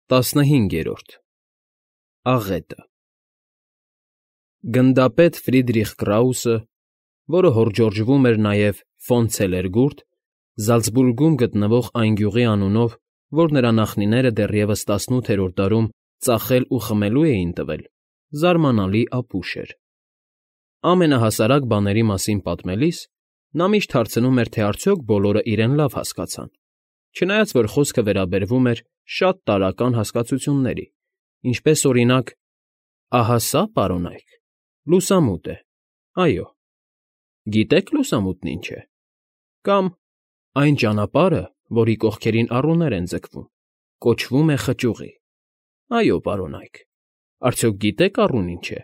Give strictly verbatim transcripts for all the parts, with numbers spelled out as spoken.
ՏԱՍՆՀԻՆԳԵՐՈՐԴ ԱՂԵՏԸ Գնդապետ Ֆրիդրիխ Կրաուսը, որը հորդորժվում էր նաև ֆոն Ցելերգուրտ, Զալցբուրգում գտնվող այն գյուղի անունով, որ նրա նախնիները դեռևս տասնութերորդ դարում ծախել ու խմելու էին տվել, զարմանալի ապուշ էր։ Ամենահասարակ բաների մասին պատմելիս նա միշտ հարցնում էր, թե արդյոք բոլորը իրեն լավ հասկացան, չնայած որ խոսքը վերաբերվում էր շատ տարրական հասկացությունների, ինչպես, օրինակ, «Ահա սա, պարոնայք, լուսամուտ է, այո, գիտե՞ք լուսամուտն ինչ է», կամ «Այն ճանապարհը, որի կողքերին առուներ են ձգվում, կոչվում է խճուղի, այո, պարոնայք, արդյոք գիտե՞ք առուն ինչ է,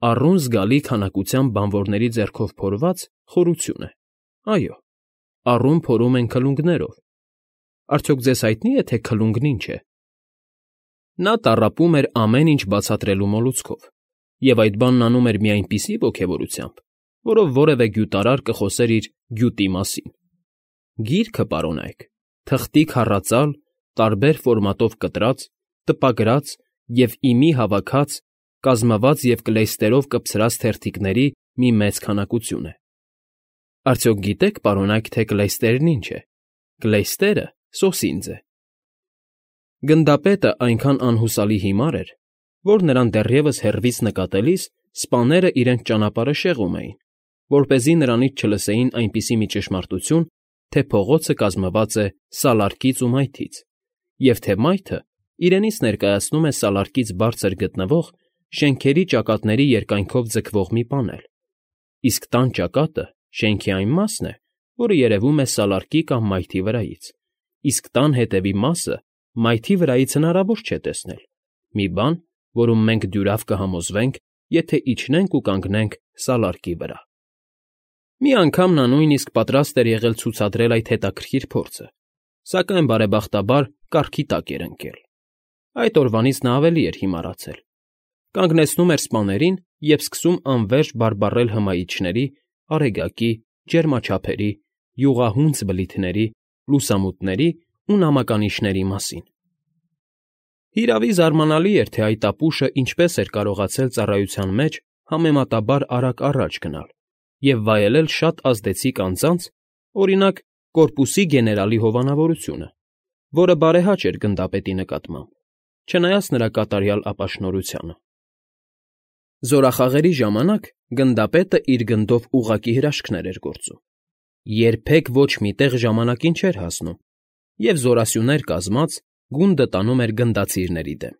առուն զգալի քանակությամբ բանվորների ձեռքով փորված խորություն է, այո, առուն փորում են քլունգներով, արդյոք ձեզ հայտնի է, թե քլունգն ինչ է»։ Նա տառապում էր ամեն ինչ բացատրելու մոլուցքով, և այդ բանն անում էր մի այնպիսի ոգևորությամբ, որով որևէ գյուտարար կխոսեր իր գյուտի մասին։ Գիրքը, պարոնայք, թղթի քառածալ, տարբեր ֆորմատով կտրած, տպագրած և ի մի հավաքած, կազմված և կլեյստերով կպցրած թերթիկների մի մեծ քանակություն է։ Արդյոք գիտե՞ք, պարոնայք, թե կլեյստերն ինչ է։ Կլեյստերը սոսինձ է։ Գնդապետը այնքան անհուսալի հիմար էր, որ նրան դեռևս հեռվից նկատելիս սպաները իրենց ճանապարհը շեղում էին, որպեսզի նրանից չլսեին այնպիսի մի ճշմարտություն, թե փողոցը կազմված է սալարկից ու մայթից, և թե մայթը իրենից ներկայացնում է սալարկից բարձր գտնվող, շենքերի ճակատների երկայնքով ձգվող մի պանել, իսկ տան ճակատը շենքի այն մասն է, որը երևում է սալարկի կամ մայթի վրայից, իսկ տան հետևի մասը մայթի վրայից հնարավոր չէ տեսնել, մի բան, որում մենք դյուրավ կհամոզվենք, եթե իջնենք ու կանգնենք սալարկի վրա։ Մի անգամ նա նույնիսկ պատրաստ էր եղել ցուցադրել այդ հետաքրքիր փորձը, սակայն բարեբախտաբար կառքի տակ էր ընկել։ Այդ օրվանից նա ավելի էր հիմարացել, կանգնեցնում էր սպաներին և սկսում անվերջ բարբառել հմայիչների, արեգակի, ջերմաչափերի, յուղահունձ բլիթների, լուսամուտների ու նամականիշների մասին։ Հիրավի, զարմանալի էր, թե այդ ապուշը ինչպես էր կարողացել ծառայության մեջ համեմատաբար արագ առաջ գնալ և վայելել շատ ազդեցիկ անձանց, օրինակ, կորպուսի գեներալի հովանավորությունը, որը բարեհաճ էր գնդապետի նկատմամբ, չնայած նրա կատարյալ ապաշնորհությանը։ Զորախաղերի ժամանակ գնդապետը իր գնդով ուղղակի հրաշքներ էր գործում, երբեք ոչ մի տեղ ժամանակին չէր հասնում և զորասյուներ կազմած գունդը տանում էր գնդացիրների դեմ։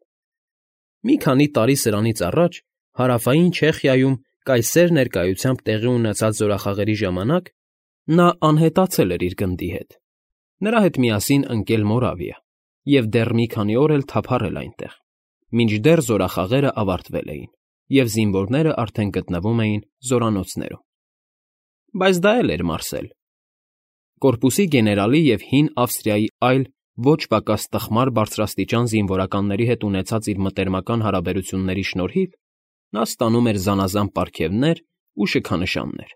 Մի քանի տարի սրանից առաջ Հարավային Չեխիայում կայսեր ներկայությամբ տեղի ունեցած զորախաղերի ժամանակ նա անհետացել էր իր գնդի հետ, նրա հետ միասին ընկել Մորավիա և դեռ մի քանի օր էլ թափառել այնտեղ, մինչդեռ զորախաղերը ավարտվել էին, և զինվորներն արդեն գտնվում էին զորանոցներում։ Բայց դա էլ էր մարսել։ Կորպուսի գեներալի և հին Ավստրիայի այլ ոչ պակաս տխմար բարձրաստիճան զինվորականների հետ ունեցած իր մտերմական հարաբերությունների շնորհիվ նա ստանում էր զանազան պարգևներ ու շքանշաններ,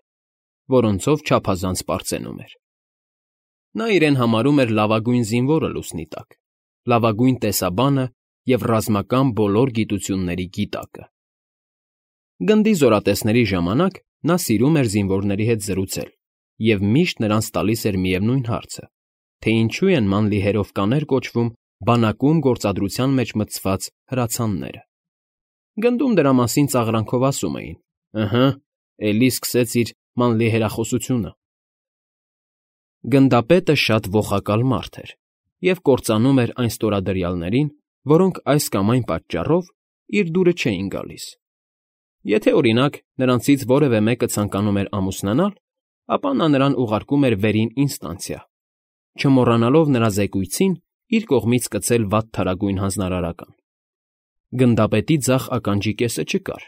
որոնցով չափազանց պարծենում էր։ Նա իրեն համարում էր լավագույն զինվորը լուսնի տակ, լավագույն տեսաբանը և ռազմական բոլոր գիտությունների գիտակը։ Գնդի զորատեսների ժամանակ նա սիրում էր զինվորների հետ զրուցել և միշտ նրանց տալիս էր միևնույն հարցը, թե ինչու են մանլիհերով կաներ կոչվում բանակում գործադրության մեջ մտցված հրացանները։ Գնդում դրա մասին ծաղրանքով ասում էին. «Ըհը, էլի սկսեց իր մանլիհերախոսությունը»։ Գնդապետը շատ ոխակալ մարդ էր և կործանում էր այն ստորադրյալներին, որոնք այս կամ այն պատճառով իր դուրը չէին գալիս։ Եթե, օրինակ, նրանցից որևէ մեկը ցանկանում էր ամուսնանալ, ապա նա նրան ուղարկում էր վերին ինստանցիա, չմոռանալով նրա զեկույցին իր կողմից կցել վատ թարագույն հանձնարարական։ Գնդապետի ձախ ականջի կեսը չկար,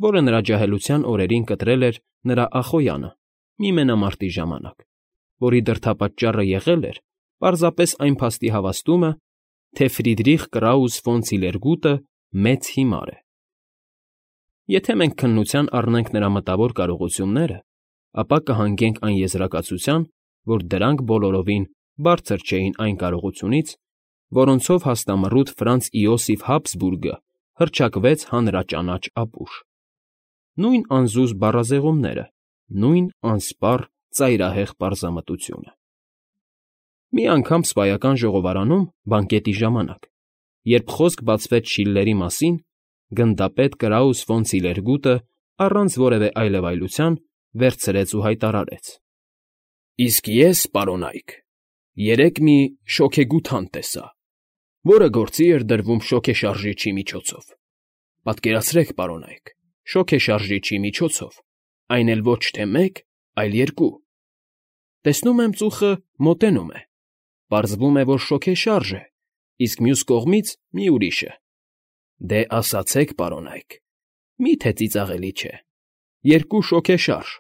որը նրա ջահելության օրերին կտրել էր նրա ախոյանը մի մենամարտի ժամանակ, որի դրդապատճառը եղել էր պարզապես այն փաստի հավաստումը, թե Ֆրիդրիխ Կրաուս ֆոն Ցիլերգուտը մեծ հիմար է։ Եթե մենք քննության առնենք նրա մտավոր կարողությունները, ապա կհանգենք այն եզրակացության, որ դրանք բոլորովին բարձր չէին այն կարողությունից, որոնցով հաստամռութ Ֆրանց Իոսիֆ Հաբսբուրգը հռչակվեց հանրաճանաչ ապուշ. նույն անզուզ բառազեղումները, նույն անսպառ ծայրահեղ պարզամտությունը։ Մի անգամ Սպայական ժողովարանում, բանկետի ժամանակ, երբ խոսք բացվեց Շիլլերի մասին, գնդապետ Կրաուս ֆոն Ցիլերգուտը առանց որևէ այլևայլության վերցրեց ու հայտարարեց. «Իսկ ես, պարոնայք, երեկ մի շոգեգութան տեսա, որը գործի էր դրվում շոգեշարժիչի միջոցով։ Պատկերացրեք, պարոնայք, շոգեշարժիչի միջոցով, այն էլ ոչ թե մեկ, այլ երկու։ Տեսնում եմ, ծուխը մոտենում է, պարզվում է, որ շոգեշարժ է, իսկ մյուս կողմից մի ուրիշը։ Դե ասացեք, պարոնայք, մի՞թե ծիծաղելի չէ։ Երկու շոգեշարժ,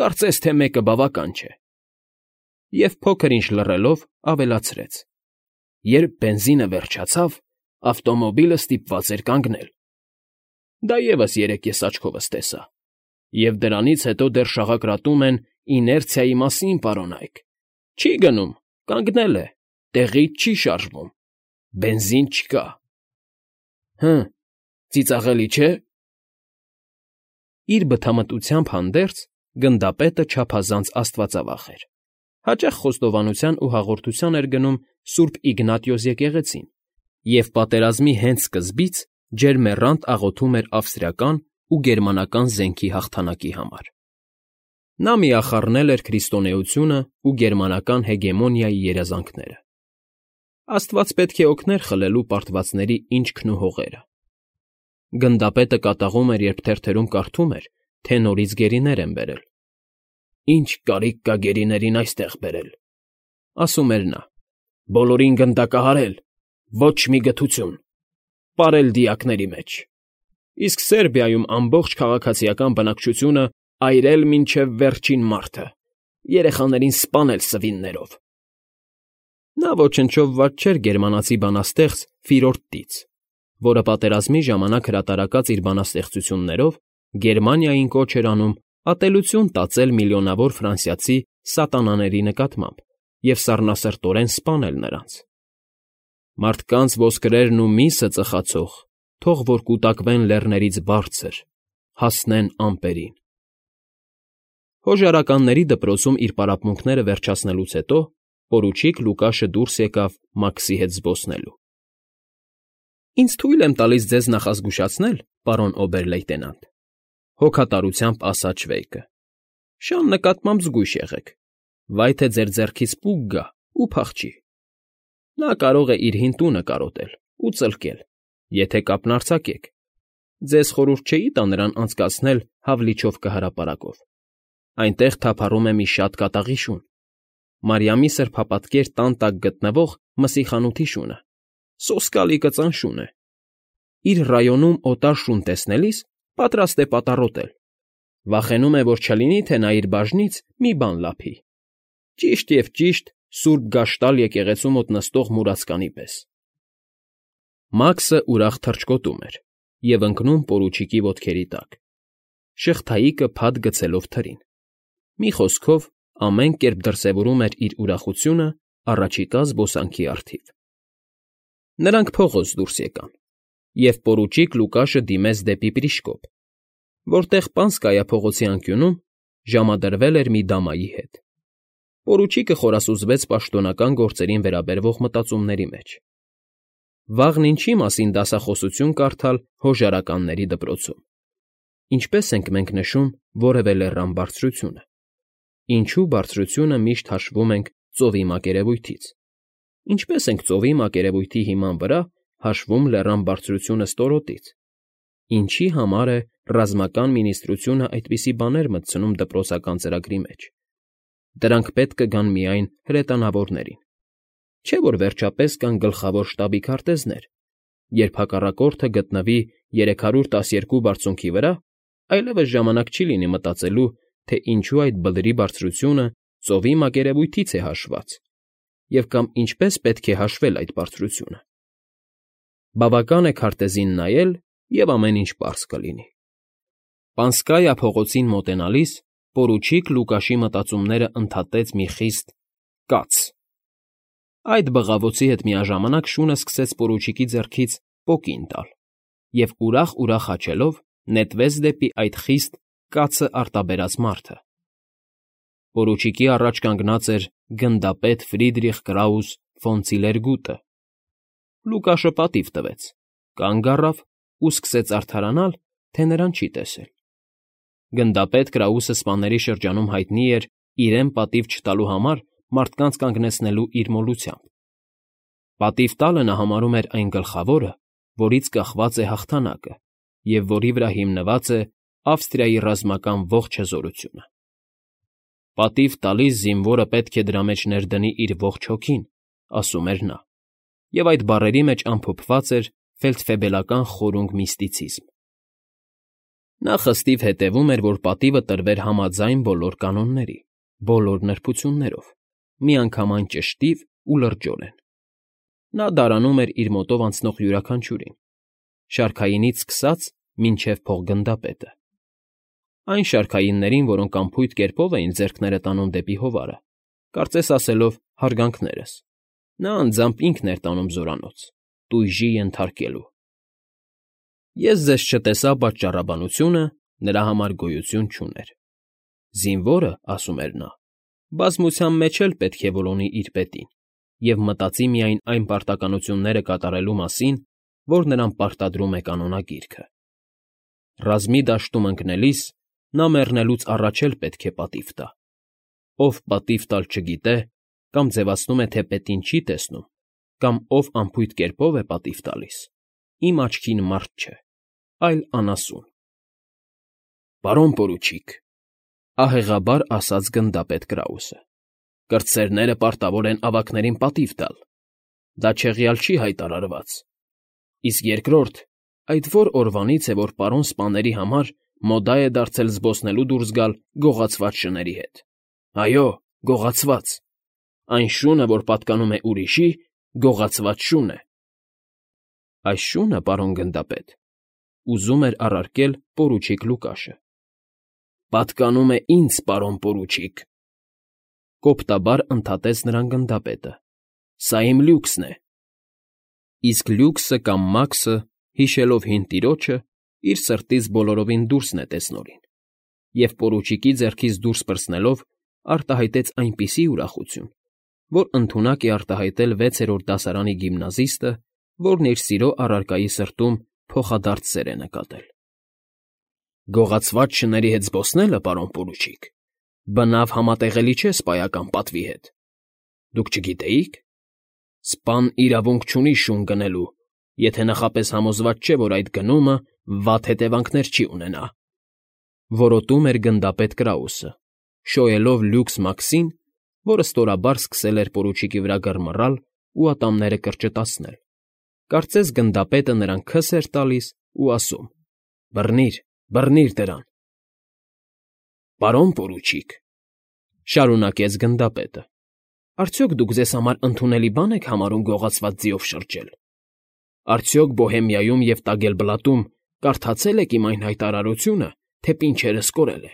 կարծես թե մեկը բավական չէ»։ Եվ փոքր-ինչ լռելով ավելացրեց. «Երբ բենզինը վերջացավ, ավտոմոբիլը ստիպված էր կանգնել։ Դա ևս երեկ ես աչքովս տեսա։ Եվ դրանից հետո դեռ շաղակրատում են իներցիայի մասին, պարոնայք։ Չի գնում, կանգնել է, տեղից չի շարժվում, բենզին չկա։ Հը, ծիծաղելի չէ՞»։ Իր բթամտությամբ հանդերձ գնդապետը չափազանց աստվածավախ էր։ Հաճախ խոստովանության ու հաղորդության էր գնում Սուրբ Իգնատիոս եկեղեցին և պատերազմի հենց սկզբից ջերմեռանդ աղոթում էր ավստրիական ու գերմանական զենքի հաղթանակի համար։ Նա միախառնել էր քրիստոնեությունը ու գերմանական հեգեմոնիայի երազանքները։ Աստված պետք է օգներ խլելու պարտվածների ինչքն ու հողերը։ Գնդապետը կատաղում էր, երբ թերթերում կարդում էր, թե նորից գերիներ են բերել։ «Ինչ կարիք կա գերիներին այստեղ բերել,֊ ասում էր նա,֊ բոլորին գնդակահարել, ոչ մի գթություն, պարել դիակների մեջ, իսկ Սերբիայում ամբողջ քաղաքացիական բնակչությունը այրել մինչև վերջին մարդը, երեխաներին սպանել սվիններով»։ Նա ոչնչով վատ չէր գերմանացի բանաստեղծ Ֆիրորդ Տից, որը պատերազմի ժամանակ հրատարակած իր բանաստեղծություններով Գերմանիային կոչ էր անում ատելություն տածել միլիոնավոր ֆրանսիացի սատանաների նկատմամբ և սառնասրտորեն սպանել նրանց։ «Մարդկանց ոսկրերն ու միսը ծխացող, թող որ կուտակվեն լեռներից բարձր, հասնեն ամպերին»։ Հոժարականների դպրոցում իր պարապմունքները վերջացնելուց հետո պորուչիկ Լուկաշը դուրս եկավ Մաքսի հետ զբոսնելու։ «Ինձ թույլ եմ տալիս ձեզ նախազգուշացնել, պարոն օբեր֊լեյտենանտ,֊ հոգատարությամբ ասաց Շվեյկը,֊ շան նկատմամբ զգույշ եղեք, վայ թե ձեր ձեռքից պուկ գա ու փախչի։ Նա կարող է իր հին տունը կարոտել ու ծլկել, եթե կապն արձակեք։ Ձեզ խորհուրդ չէի տա նրան անցկացնել Հավլիչովկա հրապարակով։ Այնտեղ թափառում է մի շատ կատաղի շուն, Մարիամի սրբապատկեր տան տակ գտնվող մսի խանութի շունը, սոսկալի կծան շուն է։ Իր ռայոնում օտար շուն տեսնելիս պատրաստ է պատառոտել։ Վախենում է, որ չլինի, թե նա իր բաժնից մի բան լափի։ Ճիշտ և ճիշտ Սուրբ Գաշտալ եկեղեցու մոտ նստող մուրացկանի պես։ Մաքսը ուրախ թռչկոտում էր և ընկնում պորուչիկի ոտքերի տակ, շղթայիկը փաթ գցելով թրին։ Մի խոսքով, ամեն կերպ դրսևորում էր իր ուրախությունը առաջիկա զբոսանքի առթիվ։ Նրանք փողոց դուրս եկան, և պորուչիկ Լուկաշը դիմեց դեպի Պրիշկոպ, որտեղ Պանսկայա փողոցի անկյունում ժամադրվել էր մի դամայի հետ։ Պորուչիկը խորասուզվեց պաշտոնական գործերին վերաբերվող մտածումների մեջ։ Վաղն ինչի մասին դասախոսություն կարդալ հոժարականների դպրոցում։ Ինչպես ենք մենք նշում որևէ լեռան բարձրությունը։ Ինչու բարձրությունը միշտ հաշվում ենք ծովի մակերևույթից։ Ինչպես ենք ծովի մակերևույթի հիման վրա հաշվում լեռան բարձրությունը ստորոտից։ Ինչի համար է ռազմական մինիստրությունը այդպիսի բաներ մտցնում դպրոցական ծրագրի մեջ։ Դրանք պետք կգան միայն հրետանավորներին։ Չէ՞ որ վերջապես կան գլխավոր շտաբի քարտեզներ, երբ հակառակորդը գտնվի երեք հարյուր տասներկու բարձունքի վրա, այլևս ժամանակ չի լինի մտածելու, թե ինչու այդ բլրի բարձրությունը ծովի մակերևույթից է հաշված, և կամ ինչպես պետք է հաշվել այդ բարձրությունը։ Բավական է քարտեզին նայել, և ամեն ինչ պարզ կլինի։ Պանսկայա փողոցին մոտենալիս պորուչիկ Լուկաշի մտածումները ընդհատեց մի խիստ «կաց»։ Այդ բղավոցի հետ միաժամանակ շունը սկսեց պորուչիկի ձեռքից պոկին տալ և ուրախ֊ուրախ հաչելով նետվեց դեպի այդ խիստ կացը արտաբերած մարդը։ Պորուչիկի առաջ կանգնած էր գնդապետ Ֆրիդրիխ Կրաուս ֆոն Ցիլերգուտը։ Լուկաշը պատիվ տվեց, կանգ առավ ու սկսեց արդարանալ, թե նրան չի տեսել։ Գնդապետ Կրաուսը սպաների շրջանում հայտնի էր իրեն պատիվ չտալու համար մարդկանց կանգնեցնելու իր մոլությամբ։ Պատիվ տալը նա համարում էր այն գլխավորը, որից կախված է հաղթանակը և որի վրա հիմնված է Ավստրիայի ռազմական ողջ հզորությունը։ Պատիվ տալիս զինվորը պետք է դրա մեջ ներդնի իր ողջ հոգին, ասում էր նա, և այդ բառերի մեջ ամփոփված էր ֆելդֆեբելական խորունգ միստիցիզմ։ Նա խստիվ հետևում էր, որ պատիվը տրվեր համաձայն բոլոր կանոնների, բոլոր նրբություններով, միանգամայն ճշտիվ ու լրջորեն։ Նա դարանում էր իր մոտով անցնող յուրաքանչյուրին, շարքայինից սկսած մինչև փոխգնդապետը։ Այն շարքայիններին, որոնք անփույթ կերպով էին ձեռքները տանում դեպի հովարը, կարծես ասելով հարգանքներս, նա անձամբ ինքն էր տանում զորանոց, տույժի ենթարկելու։ Ես ձեզ չտեսա պատճառաբանությունը նրա համար գոյություն չուներ։ Զինվորը, ասում էր նա, բազմության մեջ էլ պետք է որոնի իր պետին և մտածի միայն այն պարտականությունները կատարելու մասին, որ նրան պարտադրում է կանոնագիրքը։ Ռազմի դաշտում ընկնելիս նա մեռնելուց առաջ էլ պետք է պատիվ տա։ Ով պատիվ տալ չգիտե, կամ ձևացնում է, թե պետին չի տեսնում, կամ ով անփույթ կերպով է պատիվ տալիս, իմ աչքին մարդ չէ, այլ անասուն։ Պարոն պորուչիկ, ահեղաբար ասաց գնդապետ Կրաուսը, կրտսերները պարտավոր են ավագներին պատիվ տալ։ Դա չեղյալ չի հայտարարված։ Իսկ երկրորդ, այդ որ օրվանից է, որ պարոն սպաների համար մոդա է դարձել զբոսնելու դուրս գալ գողացված շների հետ։ Այո, գողացված։ Այն շունը, որ պատկանում է ուրիշի, գողացված շուն է։ Այս շունը, պարոն գնդապետ, ուզում էր առարկել պորուչիկ Լուկաշը, պատկանում է ինձ, պարոն պորուչիկ, կոպտաբար ընդհատեց նրան գնդապետը, սա իմ լյուքսն է։ Իսկ լյուքսը կամ մաքսը, հիշելով հին տիրոջը, իր սրտից բոլորովին դուրս նետեց նորին, և պորուչիկի ձեռքից դուրս պրծնելով արտահայտեց այնպիսի ուրախություն, որ ընդունակ է արտահայտել վեցերորդ դասարանի գիմնազիստը, որն իր սիրո առարկայի սրտում փոխադարձ սեր է նկատել։ Գողացված շների հետ զբոսնելը, պարոն պորուչիկ, բնավ համատեղելի չէ սպայական պատվի հետ։ Դուք չգիտեի՞ք։ Սպան իրավունք չունի շուն գնելու, եթե նախապես համոզված չէ, որ այդ գնումը վատ հետևանքներ չի ունենա։ Որոտում էր գնդապետ Կրաուսը, շոյելով լյուքս Մաքսին, որը ստորաբար սկսել էր պորուչիկի վրա գռմռալ ու ատամները կրճտացնել։ Կարծես գնդապետը նրան քս էր տալիս ու ասում. «Բռնիր, բռնիր դրան»։ Պարոն պորուչիկ, շարունակեց գնդապետը, արդյոք դուք ձեզ համար ընդունելի բան եք համարում գողացված ձիով շրջել։ Արդյոք Բոհեմիայում և Տագելբլատում կարդացել եք իմ այն հայտարարությունը, թե պինչերս կորել է։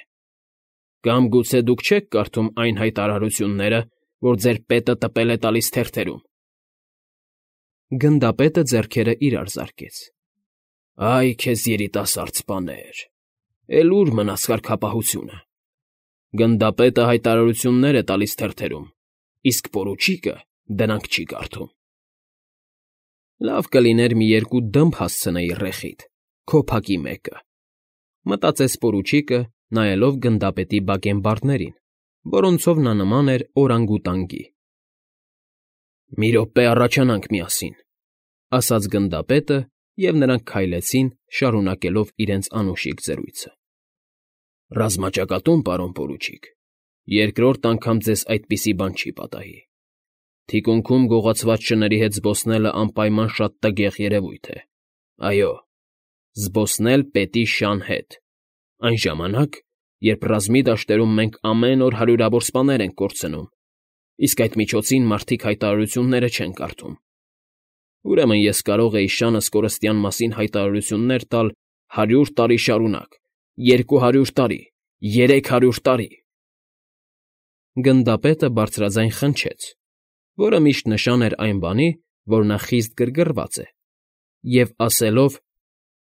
Կամ գուցե դուք չեք կարդում այն հայտարարությունները, որ ձեր պետը տպել է տալիս թերթերում։ Գնդապետը ձեռքերը իրար զարկեց։ Այ քեզ երիտասարդ սպաներ, էլ ուր մնաց կարգապահությունը։ Գնդապետը հայտարարություններ է տալիս թերթերում, իսկ պորուչիկը դրանք չի կարդում։ Լավ կլիներ մի երկու դմբ հասցնեի ռեխիդ, քո փակի մեկը, մտածեց պորուչիկը, նայելով գնդապետի բակենբարդներին, որոնցով նա նման էր օրանգուտանգի։ Մի րոպե առաջանանք միասին, ասաց գնդապետը, և նրանք քայլեցին, շարունակելով իրենց անուշիկ զրույցը։ Ռազմաճակատում, պարոն պորուչիկ, երկրորդ անգամ ձեզ այդպիսի բան չի պատահի։ Թիկունքում գողացված շների հետ զբոսնելը անպայման շատ տգեղ երևույթ է։ Այո, զբոսնել պետի շան հետ, այն ժամանակ, երբ ռազմի դաշտերում մենք ամեն օր հարյուրավոր սպաներ ենք կորցնում, իսկ այդ միջոցին մարդիկ հայտարարությունները չեն կարդում։ Ուրեմն ես կարող էի շանս կորստյան մասին հայտարարություններ տալ հարյուր տարի շարունակ, երկու հարյուր տարի, երեք հարյուր տարի։ Գնդապետը բարձրաձայն խնջեց, որը միշտ նշան էր այն բանի, որ նա խիստ գրգռված է, և, ասելով.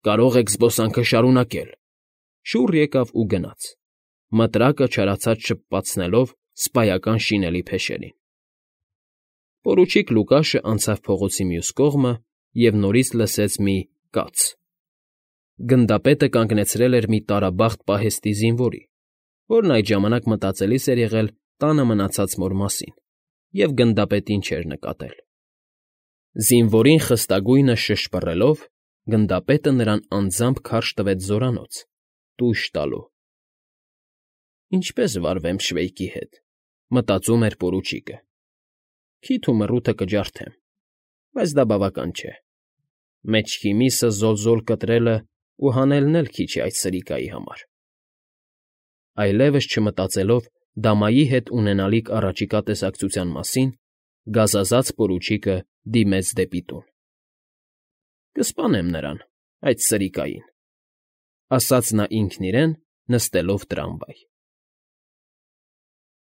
«Կարող եք զբոսանքը շարունակել», շուռ եկավ ու գնաց, մտրակը չարացած շպպացնելով սպայական շինելի փեշերին։ Պորուչիկ Լուկաշը անցավ փողոցի մյուս կողմը և նորից լսեց մի «կաց»։ Գնդապետը կանգնեցրել էր մի տարաբախտ պահեստի զինվորի, որն այդ ժամանակ մտածելիս էր եղել տանը մնացած մոր մասին և գնդապետին չէր նկատել։ Զինվորին խստագույնը շշպռելով՝ գնդապետը նրան անձամբ քարշ տվեց զորանոց՝ տույժ տալու։ «Ինչպե՞ս վարվեմ Շվեյկի հետ,֊ մտածում էր պորուչիկը։ Քիթ ու մռութը կջարդեմ, բայց դա բավական չէ։ Մեջքի միսը զոլ֊զոլ կտրելն ու հանելն էլ քիչ է այդ սրիկայի համար»։ Այլևս չմտածելով դամայի հետ ունենալիք առաջիկա տեսակցության մասին, գազազած պորուչիկը դիմեց դեպի տուն։ «Կսպանեմ նրան, այդ սրիկային,֊ ասաց նա ինքն իրեն՝ նստելով տրամվայ։